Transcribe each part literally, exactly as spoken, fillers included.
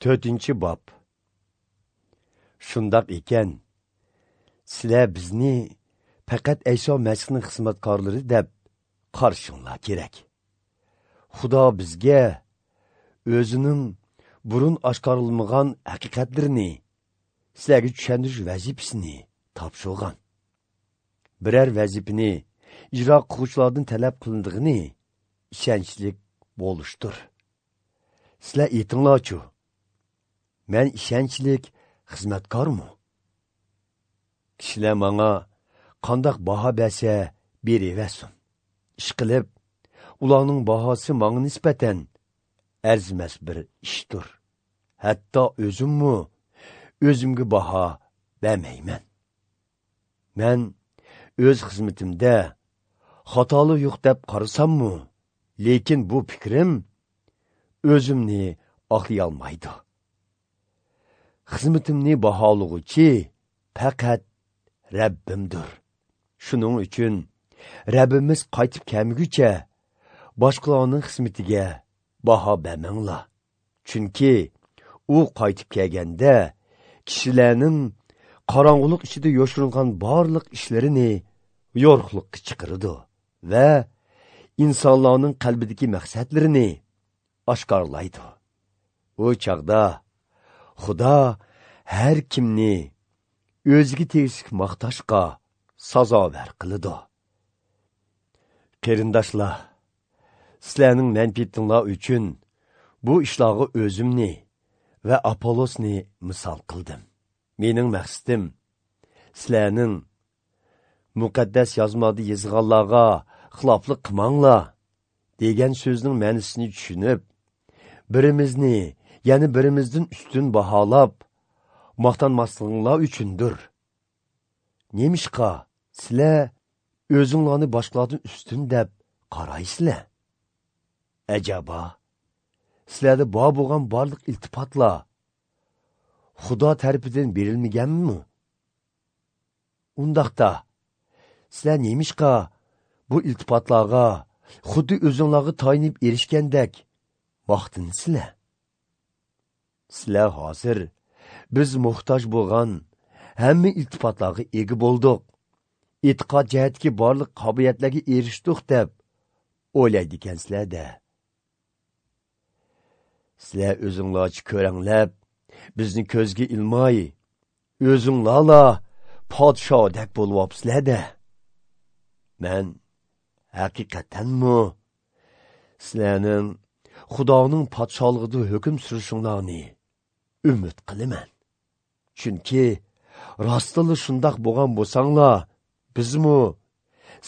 To'rtinchi bob. Shundoq ekan, sizlar bizni faqat Ayso Masihning xizmatkorlari deb qarashinglar kerak. Xudo bizga o'zining burun oshkorilmagan haqiqatlarini sizlarga tushuntirish vazifasini topshirgan. Biror vazifani ijro qiluvchilardan talab qilindig'ini ishonchlik bo'lishdir. Sizlar aytinglarchu, men ishonchlik xizmatkormi? Kishilar menga qandoq baho bersa beraversin. Ish qilib, ularning bahosi menga nisbatan arzimas bir ishdir. Hatto o'zimmi o'zimga baho bermayman. Men o'z xizmatimda xatolik yo'q deb qarasammi, lekin bu fikrim o'zimni oqlay olmaydi. Xizmatimni baholug'uchi faqat Rabbimdir. Shuning uchun Rabbimiz qaytib kelmaguncha boshqalarning xizmatiga baho bermanglar. Chunki u qaytib kelganda kishilarning qorong'ulik ichida yoshiringan barliq ishlarini yorug'likka chiqaradi va insonlarning qalbidagi maqsadlarini oshkorlaydi. U chaqda Xudo har kimni o'ziga tegishli maqtashga sazovor qiladi. Qarindoshlar, sizlarning manfaatinglar uchun bu ishlarga o'zimni va Apollosni misol qildim. Mening maqsadim sizlarning muqaddas yozmada yozganlarga xiloflik qilmanglar degan so'zning ma'nosini tushunib, birimizni ya'ni birimizdan ustun baholab maqtanmasliginglar uchundir. Nemishqa sizlar o'zinglarni boshqalardan ustun deb qaraysizlar? Ajaba, sizlarda bor bo'lgan barliq iltifatlar Xudo tarafidan berilmaganmi? Undaqda sizlar nemishqa bu iltifatlarga xuddi o'zinglarga tayinib erishgandek maqtansizlar? Sizlar hozir biz muhtoj bo'lgan hamma iltifatlarga ega bo'ldik, e'tiqod jihatdagi barliq qobiliyatlarga erishdik deb o'ylaydi ekansizlar-da. Sizlar o'zinglarcha ko'ranglab, bizni ko'zga ilmay, o'zinglarla podshodek bo'lyapsizlar-da. Men haqiqatanmi sizlarning Xudoning podsholig'ida hukm surishinglarni umid qilaman. Chunki rostila shundoq bo'lgan bo'lsanglar, bizmi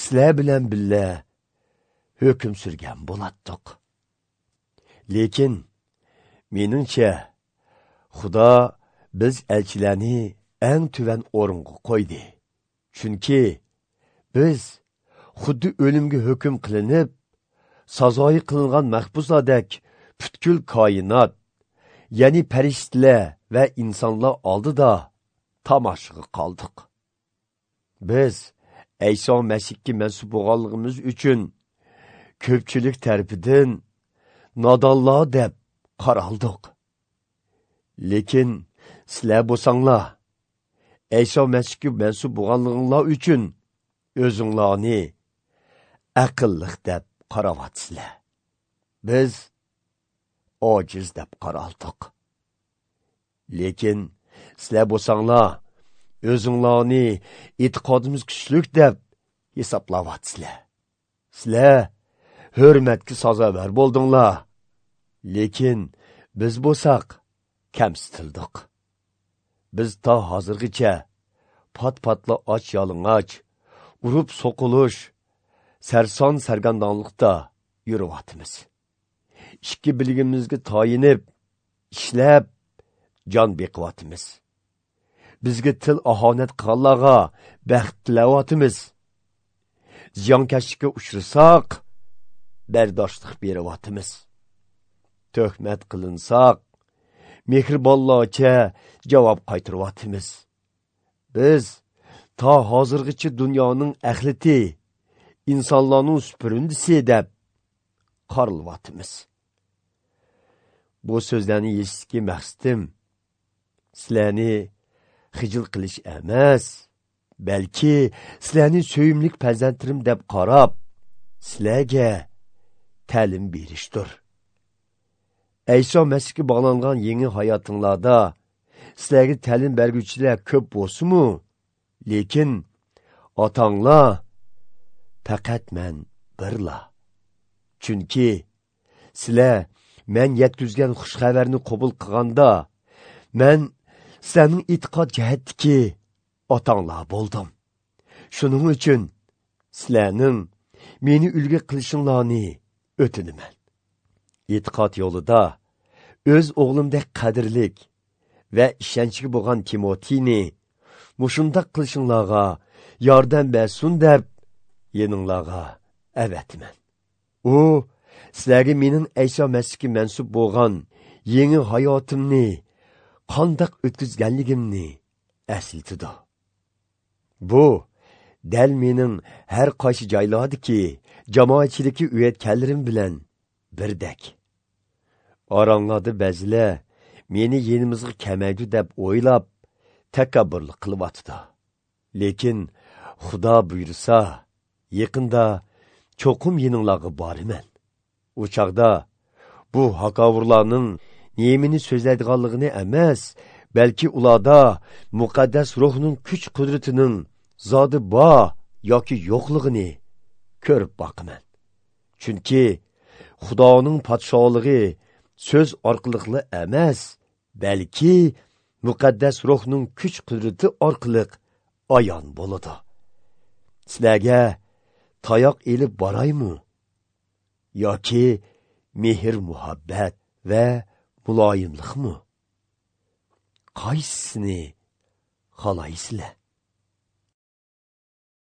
sizlar bilan birga hukm surgan bo'latdiq. Lekin meningcha Xudo biz elchilarni eng tuvan o'ringa qo'ydi. Chunki biz xuddi o'limga hukm qilinib, sazoyi qilingan mahbuslardek butkul koinot, ya'ni farishtalar va insonlar oldida tomoshaga qoldik. Biz Ayso Masihga mansub bo'lganligimiz uchun ko'pchilik tarafidan nodonlar deb qaraldik. Lekin sizlar bo'lsanglar, Ayso Masihga mansub bo'lganliginglar uchun o'zinglarni aqlliq deb qarayotsizlar. Biz ojiz deb qaraldik. Lekin sizlar bo'lsanglar, o'zinglarni e'tiqodimiz kuchlik deb hisoblayapsizlar. Sizlar hurmatga sazovor bo'ldinglar. Lekin biz bo'lsak kamsitildik. Biz ta hozirgacha pat-patla och yalang'och, urib so'qilish, sarson sargandonlikda yuriyapmiz. Ikki bilgimizga tayinib, ishlab jon beqiyapmiz. Bizga til ahonat qilganlarga baxt tilayapmiz. Ziyonkashlikka uchrasak, bardoshlik beryapmiz. Tuhmat qilinsak, mehribonlarcha javob qaytaryapmiz. Biz ta hozirgacha dunyoning axlati, insonlarning supurundisi deb qaralyapmiz. Bu so'zlarni yeyishga maqsadim sizlarni xijil qilish emas, balki sizlarni suyumlik farzandlarim deb qarab, sizlarga ta'lim berishdir. Ayso Masihga bog'langan yangi hayotinglarda sizlarga ta'lim berguvchilar ko'p bo'lsa-mu, lekin otanglar faqat men birla. Chunki sizlar men yetkazgan xush xabarni qabul qilganda, men sizlarning e'tiqod jihatdagi otanglar bo'ldim. Shuning uchun sizlarning meni ulgu qilishinglarni o'tinaman. E'tiqod yo'lida o'z o'g'limdek qadrlik va ishonchli bo'lgan Timotini mushundaq qilishinglarga yordam bersin deb yeninglarga avatman. U sizlarga mening Ayso Masihga mansub bo'lgan yangi hayotimni qandoq o'tkazganligimni eslatadi. Bu dal mening har qaysi joylardagi jamoatchilikka uyatganlarim bilan birdek. Oranglarda ba'zilar meni yenimizga kamaydi deb o'ylab takabburlik qilyotdi. Lekin Xudo buyursa, yaqinda cho'qim yeninglarga boraman. U chaqda bu hakovurlarning nemini so'zlaydiganligini emas, balki ularda muqaddas ruhning kuch qudratining zodi bor yoki yo'qligini ko'rib boqaman. Chunki Xudoning podsholig'i so'z orqali emas, balki muqaddas ruhning kuch qudrati orqali ayon bo'ladi. Sizlarga tayoq elib boraymi yoki mehr muhabbat va muloyimlikmi? Qaysisini xohlaysizlar?